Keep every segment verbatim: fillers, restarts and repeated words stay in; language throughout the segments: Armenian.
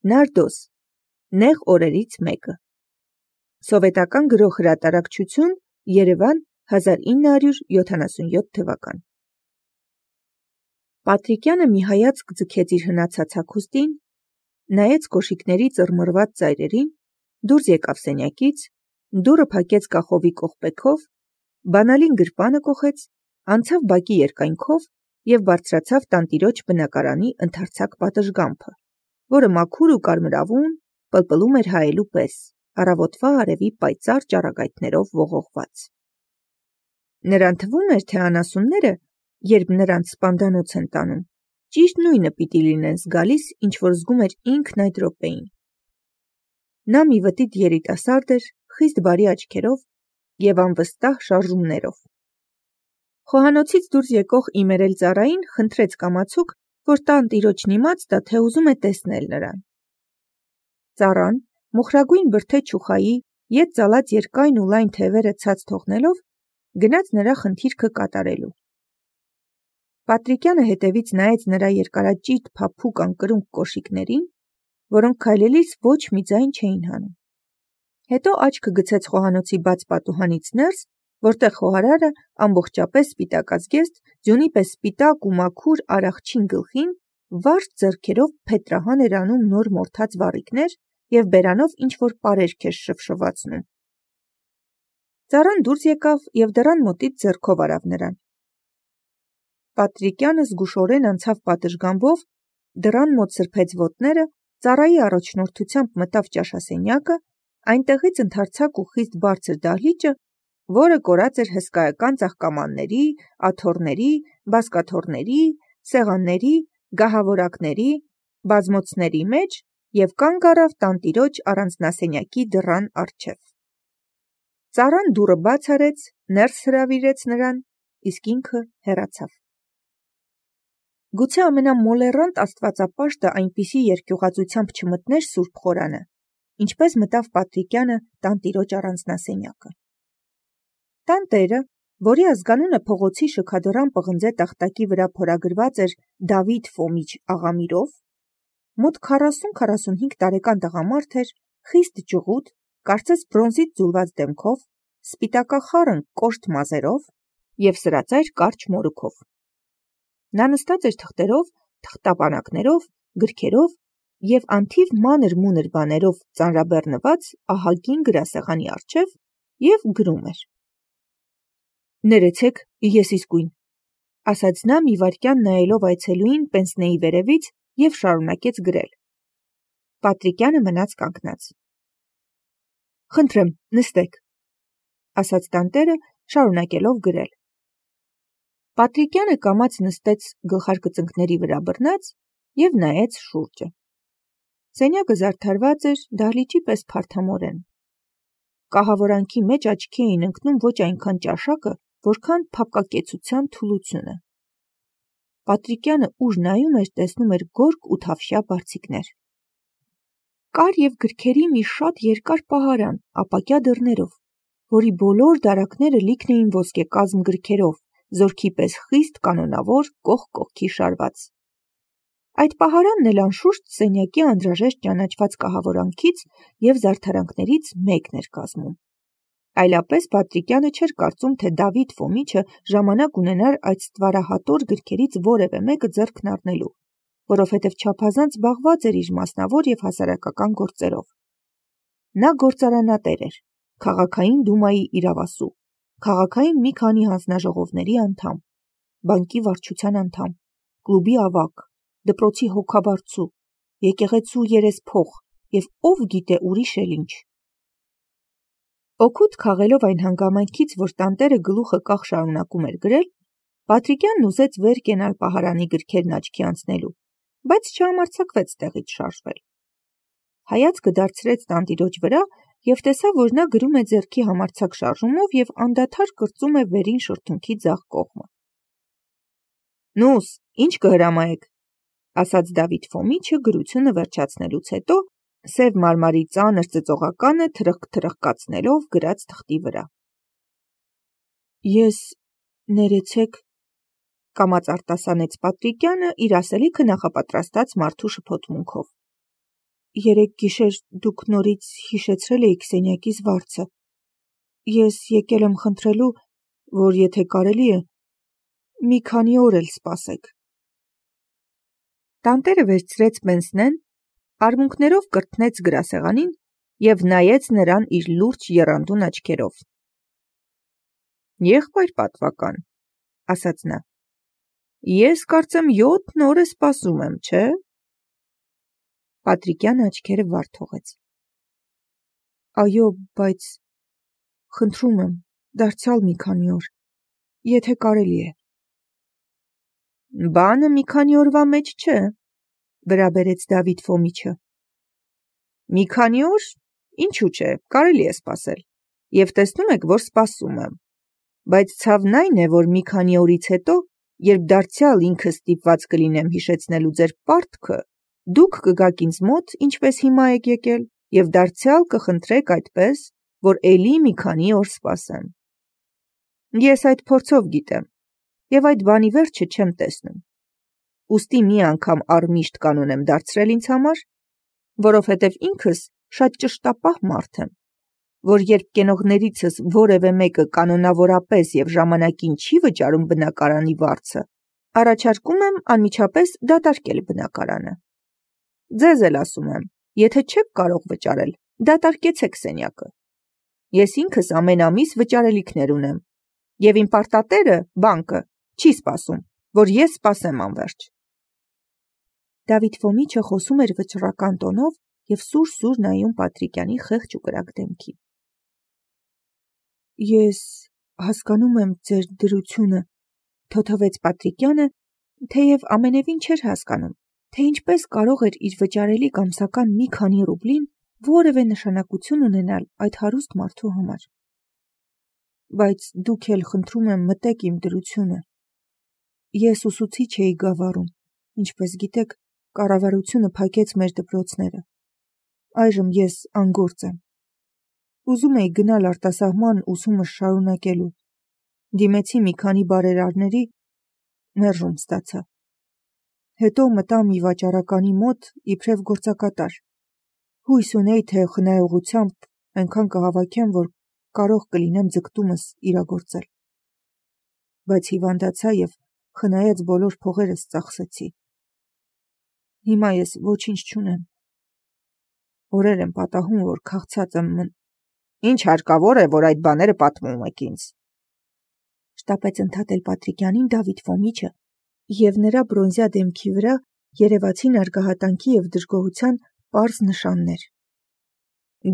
Նարդոս, նեղ օրերից մեկը։ Սովետական գրող հրատարակչություն, Երևան, հազար ինը հարյուր յոթանասունյոթ թվական։ Պատրիկյանը մի հայացք ձգեց իր հնացած հագուստին, նայեց կոշիկների ծռմռված ծայրերին, դուրս եկավ սենյակից, դուռը փակեց կախովի կողպեքով, բանալին գրպանը կոխեց, անցավ բակի երկայնքով և բարձրացավ տանտիրոջ բնակարանի ընդարձակ պատշգամբը, որը մաքուր ու կարմրավուն պլպլում էր հայելու պես, առավոտվա արևի պայծառ ճառագայթներով ողողված։ Նրան թվում էր, թե անասունները, երբ նրանց սպանդանոց են տանում, ճիշտ նույնը պիտի լինեն զգալիս, ինչ որ զգում էր ինքն այդ րոպեին։ Նա մի վտիտ երիտասարդ էր, խիստ բարի աչքերով և անվստահ շարժումներով։ Խոհանոցից դուրս եկող իմերել ծառային խնդրեց կամացուկ, որ տանտիրոջն իմաց տա, թե ուզում է տեսնել նրան։ Ծառան, մոխրագույն բրդե չուխայի, ետ ծալած երկայն ու լայն թևերը ցած թողնելով, գնաց նրա խնդիրքը կատարելու։ Պատրիկյանը հետևից նայեց նրա երկարաճիտ փափուկ անկրունկ կոշիկներին, որոնք քայլելիս ոչ մի ձայն չէին հանում։ Հետո աչքը գցեց խոհանոցի բաց պատուհանից ներս, որտեղ խոհարարը ամբողջապես սպիտակազգեստ, ձյունի պես սպիտակ ու մաքուր արախչին գլխին վարդ ձեռքերով փետրահան էր անում նոր մորթած վառիկներ և բերանով ինչ-որ պարերք էր շվշվացնում։ Ծառան դուրս եկավ և դռան մոտից ձեռքով արավ նրան։ Պատրիկյանը զգուշորեն անցավ պատշգամբով, դռան մոտ սրբեց ոտները, ծառայի առաջնորդությամբ մտավ ճաշասենյակը, այնտեղից ընդարձակ ու խիստ բարձր դահլիճը, որը կորած էր հսկայական ծաղկամանների, աթոռների, բազկաթոռների, սեղանների, գահավորակների, բազմոցների մեջ և կանգ առավ տանտիրոջ առանձնասենյակի դռան առջև։ Ծառան դուռը բաց արեց, ներս հրավիրեց նրան, իսկ ինքը հեռացավ։ Գուցե ամենամոլեռանդ աստվածապաշտը այնպիսի երկյուղածությամբ չմտներ սուրբ խորանը, ինչպես մտավ Պատրիկյանը տանտիրոջ առանձնասենյակը։ Տանտերը, որի ազգանունը փողոցի շքադռան պղնձե տախտակի վրա փորագրված էր Դավիթ Ֆոմիչ Աղամիրով, մոտ քառասուն-քառասունհինգ տարեկան տղամարդ էր, խիստ ջղուտ, կարծես բրոնզից ձուլված դեմքով, սպիտակախառն կոշտ մազերով և սրածայր կարճ մորուքով։ Նա նստած էր թղթերով, թղթապանակներով, գրքերով և անթիվ մանր-մունր բաներով ծանրաբեռնված ահագին գրասեղանի առջև և գրում էր։ «Ներեցեք, ես իսկույն», ասաց նա մի վայրկյան նայելով այցելուին պենսնեի վերևից և շարունակեց գրել։ Պատրիկյանը մնաց կանգնած։ «Խնդրեմ, նստեք», ասաց տանտերը, շարունակելով գրել։ Պատրիկյանը կամաց նստեց գլխարկծնկների վրա բռնած և նայեց շուրջը։ Սենյակը զարդարված էր դահլիճի պես փարթամորեն։ Կահավորանքի մեջ աչքի էին ընկնում ոչ այնքան ճաշակը, որքան փափկակեցության թուլությունը։ Պատրիկյանը ուր նայում էր, տեսնում էր գորգ ու թավշյա բարձիկներ։ Կար և գրքերի մի շատ երկար պահարան, ապակյա դռներով, որի բոլոր դարակները լիքն էին ոսկեկազմ գրքերով, զորքի պես խիստ կանոնավոր, կողք կողքի շարված։ Այդ պահարանն էլ անշուշտ սենյակի անհրաժեշտ ճանաչված կահավորանքից և զարդարանքներից մեկն էր կազմում։ Այլապես Պատրիկյանը չէր կարծում, թե Դավիթ Ֆոմիչը ժամանակ ունենար այդ ստվարահատոր գրքերից որևէ մեկը ձեռքն առնելու, որովհետև չափազանց զբաղված էր իր մասնավոր և հասարակական գործերով։ Նա գործարանատեր էր, քաղաքային դումայի իրավասու, քաղաքային մի քանի հանձնաժողովների անդամ, բանկի վարչության անդամ, կլուբի ավագ, դպրոցի հոգաբարձու, եկեղեցու երեսփող և ով գիտե ուրիշ էլ ինչ։ Օգուտ քաղելով այն հանգամանքից, որ տանտերը գլուխը կախ շարունակում էր գրել, Պատրիկյանն ուզեց վեր կենալ պահարանի գրքերն աչքի անցնելու, բայց չհամարձակվեց տեղից շարժվել։ Հայացքը դարձրեց տանտիրոջ վրա և տեսավ, որ նա գրում է ձեռքի համարձակ շարժումով և անդադար կրծում է վերին շրթունքի ձախ կողմը։ «Նուս, ի՞նչ կհրամայեք», ասաց Դավիթ Ֆոմիչը գրությունը վերջացնելուց հետո, սև մարմարի ծանր ծծողականը թրխկ-թրխկացնելով գրած թղթի վրա։ «Ես, ներեցեք», կամաց արտասանեց Պատրիկյանը իր ասելիքը նախապատրաստած մարդու շփոթմունքով։ երեկ գիշեր դուք նորից հիշեցրել էիք սենյակիս վարձը։ Ես եկել եմ խնդրելու, որ եթե կարելի է, մի քանի օր էլ սպասեք։ Տանտերը վերցրեց պենսնեն, արմունկներով կրտնեց գրասեղանին և նայեց նրան իր լուրջ եռանդուն աչքերով։ Եղբայր պատվական, ասաց նա, ես կարծեմ յոթ օր է սպասում եմ, չէ՞։ Պատրիկյանը աչքերը վար թողեց։ Այո, բայց խնդրում եմ, դարձյալ մի քանի օր, եթե կարելի է։ Բանը մի քանի օրվա մեջ չէ, վրա բերեց Դավիթ Ֆոմիչը։ Մի քանի օր, ինչու՞ չէ, կարելի է սպասել, և տեսնում եք, որ սպասում եմ, բայց ցավն այն է, որ մի քանի օրից հետո, երբ դարձյալ ինքս ստիպված կլինեմ հիշեցնելու ձեր պարտքը, դուք կգաք ինձ մոտ, ինչպես հիմա եք եկել, և դարձյալ կխնդրեք այդպես, որ էլի մի քանի օր սպասեմ։ Ես այդ փորձով գիտեմ, և այդ բանի վերջը չեմ տեսնում։ Ուստի մի անգամ առմիշտ կանոն եմ դարձրել ինձ համար, որովհետև ինքս շատ ճշտապահ մարդ եմ, որ երբ կենողներիցս որևէ մեկը կանոնավորապես և ժամանակին չի վճարում բնակարանի վարձը, առաջարկում եմ անմիջապես դատարկել բնակարանը։ Ձեզ էլ ասում եմ, եթե չեք կարող վճարել, դատարկեցեք սենյակը։ Ես ինքս ամեն ամիս վճարելիքներ ունեմ, և իմ պարտատերը, բանկը, չի սպասում, որ ես սպասեմ անվերջ։ Դավիթ Ֆոմիչը խոսում էր վճռական տոնով և սուր-սուր նայում Պատրիկյանի խեղճ ու կրակ դեմքին։ Ես հասկանում եմ ձեր դրությունը, թոթվեց Պատրիկյանը, թեև ամենևին չէր հասկանում, թե ինչպես կարող էր իր վճարելիք ամսական մի քանի ռուբլին որևէ նշանակություն ունենալ այդ հարուստ մարդու համար։ Բայց դուք էլ խնդրում եմ մտեք իմ դրությունը։ Ես ուսուցիչ էի Գավառում, ինչպես գիտեք, կառավարությունը փակեց մեր դպրոցները։ Այժմ ես անգործ եմ։ Ուզում էի գնալ արտասահման ուսումս շարունակելու։ Դիմեցի մի քանի բարերարների, մերժում ստացա։ Հետո մտա մի վաճառականի մոտ իբրև գործակատար։ Հույս ունեի, թե խնայողությամբ այնքան կհավաքեմ, որ կարող կլինեմ ձգտումս իրագործել։ Բայց հիվանդացա և խնայած բոլոր փողերս ծախսեցի։ Հիմա ես ոչինչ չունեմ։ Օրեր եմ պատահում, որ քաղցած եմ մն... Ինչ հարկավոր է, որ այդ բաները պատմում եք ինձ։ Շտապեց ընդհատել Պատրիկյանին Դավիթ Ֆոմիչը, և նրա բրոնզյա դեմքի վրա երևացին արգահատանքի և դժգոհության պարզ նշաններ։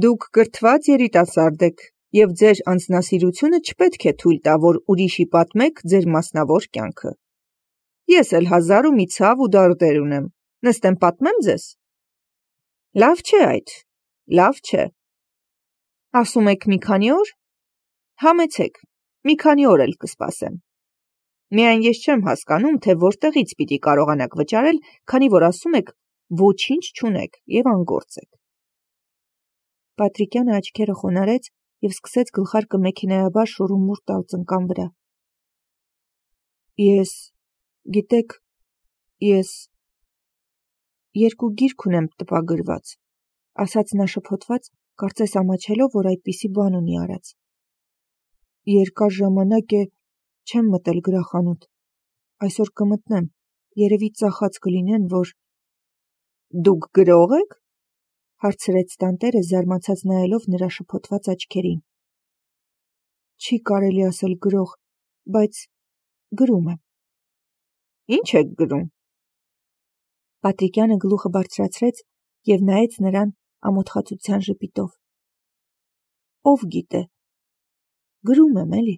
Դուք կրթված երիտասարդ եք, և ձեր անձնասիրությունը չպետք է թույլ տա, որ ուրիշի պատմեք ձեր մասնավոր կյանքը։ Ես էլ հազար ու մի ցավ ու դարդեր ունեմ, նստեմ պատմեմ ձեզ։ Լավ չէ այդ, լավ չէ։ Ասում եք մի քանի օր, համեցեք, մի քանի օր էլ կսպասեմ։ Միայն ես չեմ հասկանում, թե որտեղից պիտի կարողանաք վճարել, քանի որ ասում եք ոչինչ չունեք և անգործ եք։ Պատրիկյանը աչքերը խոնարհեց և սկսեց գլխարկը մեքենայաբար շուռումուռ տալ ծնկան վրա։ Ես, գիտեք, ես երկու գիրք ունեմ տպագրված, ասաց նա շփոթված, կարծես ամաչելով, որ այդպիսի բան ունի արած։ Երկար ժամանակ է չեմ մտել գրախանութ, այսօր կմտնեմ, երևի ծախած կլինեն, որ... Դուք գրող եք, հարցրեց տանտերը զարմացած նայելով նրա շփոթված աչքերին։ Չի կարելի ասել գրող, բայց գրում եմ։ Ինչ եք գրում։ Պատրիկյանը գլուխը բարձրացրեց և նայեց նրան ամոթխածության ժպիտով։ Ով գիտե, գրում եմ էլի։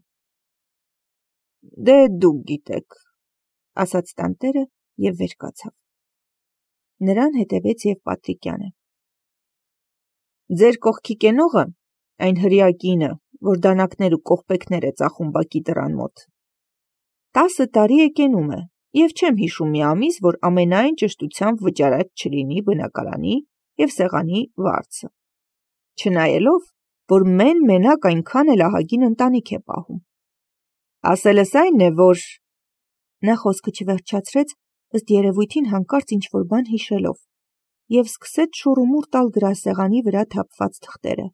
Դե դուք գիտեք, ասաց տանտերը և վեր կացավ։ Նրան հետևեց և Պատրիկյանը։ Ձեր կողքի կենողը, այն հրեա կինը, որ դանակներ ու կողպեքներ է ծախում բակի դռան մոտ, տասը տարի է կենում է, և չեմ հիշում մի ամիս, որ ամենայն ճշտությամբ վճարած չլինի բնակարանի և սեղանի վարձը, չնայելով, որ մեն-մենակ այնքան էլ ահագին ընտանիք է պահում։ Ասելս այն է, որ... Նա խոսքը չվերջացրեց, ըստ երևույթին հանկարծ ինչ-որ բան հիշելով, և սկսեց շուռումուռ տալ գրասեղանի վրա թափված թղթերը։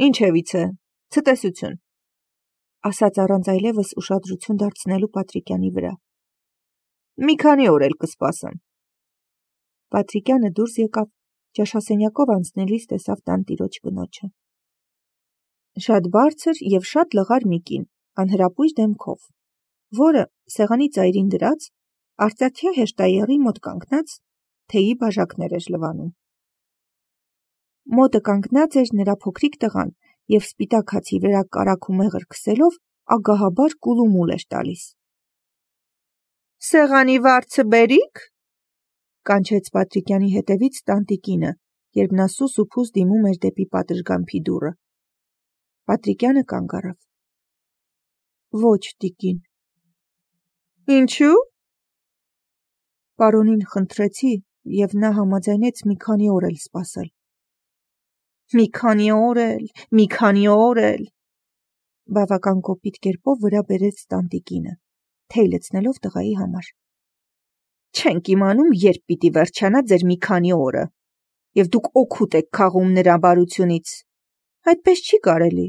«Ինչևից է, ցտեսություն», ասաց առանց այլևս ուշադրություն դարձնելու Պատրիկյանի վրա։ «Մի քանի օր էլ կսպասեմ»։ Պատրիկյանը դուրս եկավ, ճաշասենյակով անցնելիս տեսավ տանտիրոջ կնոջը։ Շատ բարձր և շատ լղար մի կին, անհրապույր դեմքով, որը սեղանի ծայրին դրած, արծաթյա հեշտաեղի մոտ կանգնած, թեյի բաժակներ էր լվանում։ Մոտը կանգնած էր նրա փոքրիկ տղան և սպիտակ հացի վրա կարագ ու մեղր քսելով ագահաբար կուլումուլ էր տալիս։ «Սեղանի վարձը բերիք», կանչեց Պատրիկյանի հետևից տանտիկինը, երբ նա սուս ու փուս դիմում էր դեպի պատշգամբի դուռը։ Պատրիկյանը կանգ առավ։ «Ոչ, տիկին»։ «Ինչու՞»։ Պարոնին խնդրեցի, և նա համաձայնեց մի քանի օր էլ սպասել։ «Մի քանի օր էլ, մի քանի օր էլ», բավական կոպիտ կերպով վրա բերեց տանտիկինը, թեյ լցնելով տղայի համար։ «Չենք իմանում, երբ պիտի վերջանա ձեր մի քանի օրը, և դուք օգուտ եք քաղում նրա բարությունից։ Այդպես չի կարելի,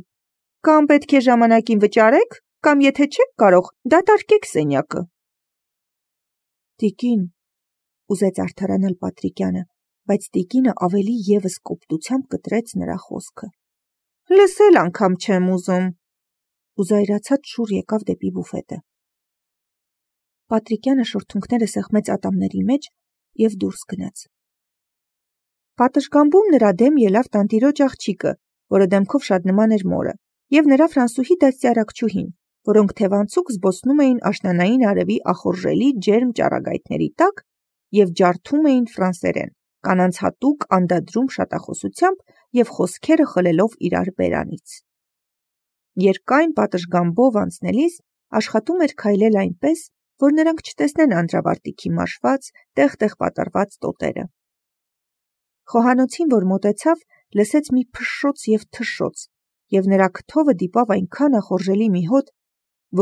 կամ պետք է ժամանակին վճարեք, կամ եթե չեք կարող, դատարկեք սենյակը»։ «Տիկին», ուզեց արդարանալ Պատրիկյանը, բայց տիկինը ավելի ևս կոպտությամբ կտրեց նրա խոսքը։ «Լսել անգամ չեմ ուզում», ու զայրացած շուռ եկավ դեպի բուֆետը։ Պատրիկյանը շրթունքները սեղմեց ատամների մեջ և դուրս գնաց։ Պատշգամբում նրա դեմ ելավ տանտիրոջ աղջիկը, որը դեմքով շատ նման էր մորը, և նրա ֆրանսուհի դաստիարակչուհին, որոնք թևանցուկ զբոսնում էին աշնանային արևի ախորժելի ջերմ ճառագայթների տակ և ջարդում էին ֆրանսերեն, կանանց հատուկ անդադրում շատախոսությամբ և խոսքերը խլելով իրար բերանից։ Երկայն պատշգամբով անցնելիս աշխատում էր քայլել այնպես, որ նրանք չտեսնեն անդրավարտիքի մաշված, տեղ-տեղ պատառված տոտերը։ Խոհանոցին, որ մոտեցավ, լսեց մի փշշոց և թշշոց, և նրա քթովը դիպավ այնքան ախորժելի մի հոտ,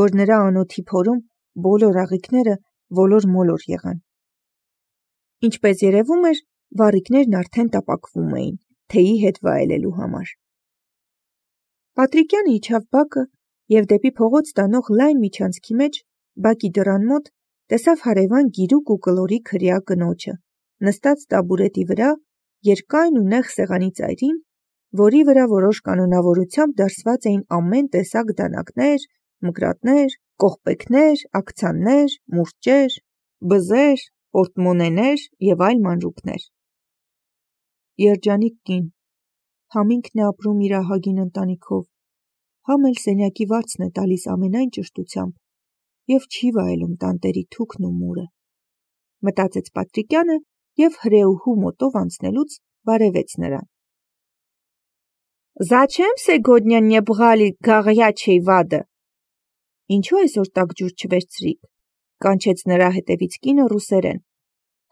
որ նրա անոթի փորում բոլոր աղիքները ոլոր-մոլոր եղան։ Ինչպես երևում էր, վառիկներն արդեն տապակվում էին, թեյի հետ վայելելու համար։ Պատրիկյանը իջավ բակը և դեպի փողոց տանող լայն միջանցքի մեջ, բակի դռան մոտ, տեսավ հարևան գիրուկ ու կլորիկ հրեա կնոջը, նստած տաբուրետի վրա, երկայն ու նեղ սեղանի ծայրին, որի վրա որոշ կանոնավորությամբ դրսված էին ամեն տեսակ դանակներ, մկրատներ, կողպեքներ, աքցաններ, մուրճեր, բզեր, պորտմոնեներ և այլ մանրուքներ։ Երջանիկ կին, համինքն է ապրում իր ահագին ընտանիքով, համ էլ սենյակի վարձն է տալիս ամենայն ճշտությամբ և չի վայելում տանտերի թուքն ու մուրը, մտածեց Պատրիկյանը և հրեուհու մոտով անցնելուց բարևեց նրան։ «Զաչեմ սեգոդնյա բղալի գաղյաչեյ վադը»։ «Ինչու այսօր տաք ջուր չվերցրիք», կանչեց նրա հետևից կինը ռուսերեն,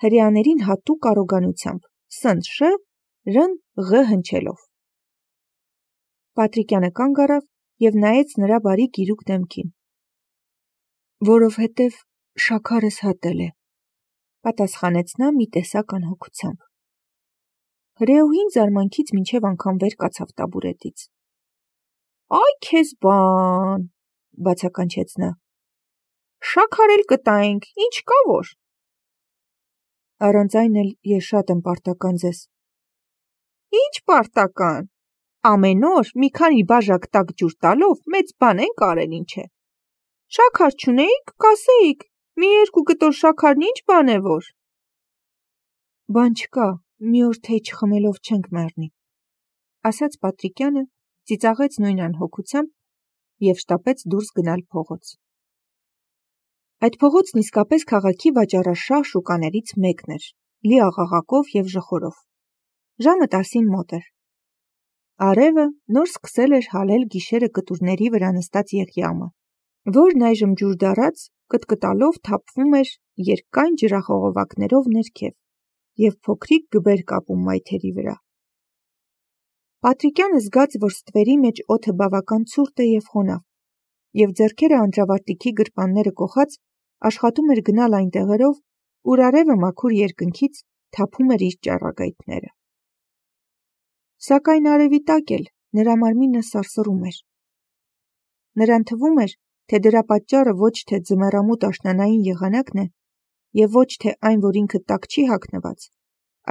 հրեաներին հատուկ առոգանությամբ, սնտ շ, ռն ղ հնչելով։ Պատրիկյանը կանգ առավ և նայեց նրա բարի գիրուկ դեմքին։ «Որովհետև շաքարս հատել է», պատասխանեց նա մի տեսակ անհոգությամբ։ Հրեուհին զարմանքից մինչև անգամ վեր կացավ տաբուրետից։ «Այ քեզ բան», բացականչեց նա։ «Շաքար էլ կտայինք, ինչ կա որ»։ «Առանց այն էլ ես շատ եմ պարտական ձեզ»։ «Ինչ պարտական, ամեն օր մի քանի բաժակ տաք ջուր տալով մեծ բան ենք արել, ինչ է։ Շաքար չունեիք, կասեիք, մի երկու կտոր շաքարն ինչ բան է որ»։ «Բան չկա, մի օր թեյ չխմելով չենք մեռնի», ասաց Պատրիկյանը, ծիծաղեց նույն անհոգությամբ և շտապեց դուրս գնալ փողոց։ Այդ փողոցն իսկապես քաղաքի վաճառաշահ շուկաներից մեկն էր, լի աղաղակով և ժխորով։ Ժամը տասին մոտ էր։ Արևը նոր սկսել էր հալել գիշերը կտուրների վրա նստած Եղիամը, որն այժմ ջուր դառած կտկտալով թափվում էր երկայն ջրախողովակներով ներքև և փոքրիկ գբեր կապում մայթերի վրա։ Պատրիկյանը զգաց, որ ստվերի մեջ օդը բավական ցուրտ է և խոնավ, և ձեռքերը անդրավարտիքի գրպանները կոխած աշխատում էր գնալ այն տեղերով, ուր արևը մաքուր երկնքից թափում էր իր ճառագայթները։ Սակայն արևի տակ էլ նրա մարմինը սարսռում էր։ Նրան թվում էր, թե դրա պատճառը ոչ թե ձմեռամուտ աշնանային եղանակն է, և ոչ թե այն, որ ինքը տակ չի հագնված,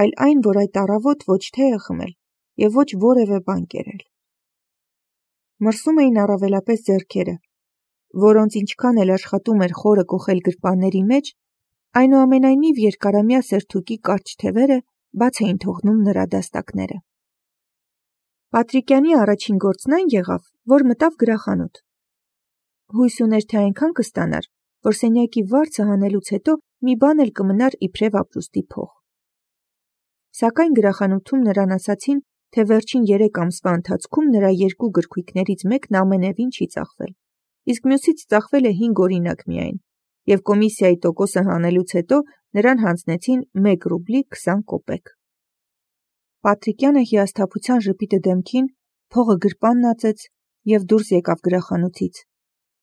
այլ այն, որ այդ առավոտ ոչ թե է խմել և ոչ որևէ բան կերել։ Մրսում էին առավելապես ձեռքերը, որոնց ինչքան էլ աշխատում էր խորը կոխել գրպանների մեջ, այնուամենայնիվ երկարամյա սերթուկի կարճ թևերը բաց էին թողնում նրա դաստակները։ Պատրիկյանի առաջին գործն այն եղավ, որ մտավ գրախանութ։ Հույս ուներ, թե այնքան կստանար, որ սենյակի վարձը հանելուց հետո մի բան էլ կմնար իբրև ապրուստի փող։ Սակայն գրախանութում նրան ասացին, թե վերջին երեք ամսվա ընթացքում նրա երկու գրքույկներից մեկն ամենևին չի ծախվել, իսկ մյուսից ծախվել է հինգ օրինակ միայն, և կոմիսիայի տոկոսը հանելուց հետո նրան հանձնեցին մեկ ռուբլի քսան կոպեկ։ Պատրիկյանը հիասթափության ժպիտը դեմքին, փողը գրպանն ածեց և դուրս եկավ գրախանութից,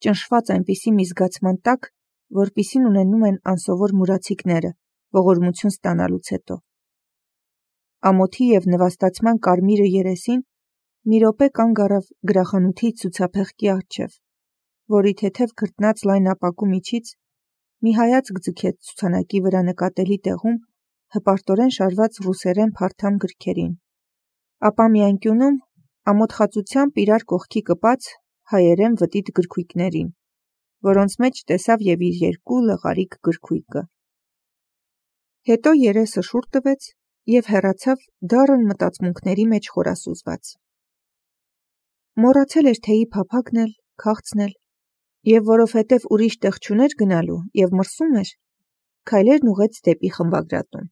ճնշված այնպիսի մի զգացման տակ, որպիսին ունենում են անսովոր մուրացիկները ողորմություն ստանալուց հետո։ Ամոթի և նվաստացման կարմիրը երեսին մի րոպե կանգ առավ գրախանութի ցուցափեղկի առջև, որի թեթև քրտնած լայն ապակու միջից մի հայացք ձգեց ցուցանակի վրա նկատելի տեղում հպարտորեն շարված ռուսերեն փարթամ գրքերին, ապա մի անկյունում ամոթխածությամբ իրար կողքի կպած հայերեն վտիտ գրքույկներին, որոնց մեջ տեսավ և իր երկու լղարիկ գրքույկը։ Հետո երեսը շուռ տվեց և հեռացավ դառն մտածմունքների մեջ խորասուզված։ Մոռացել էր թեյի փափագն էլ, քաղցն էլ, և որովհետև ուրիշ տեղ չուներ գնալու և մրսում էր, քայլերն ուղղեց դեպի խմբագրատուն։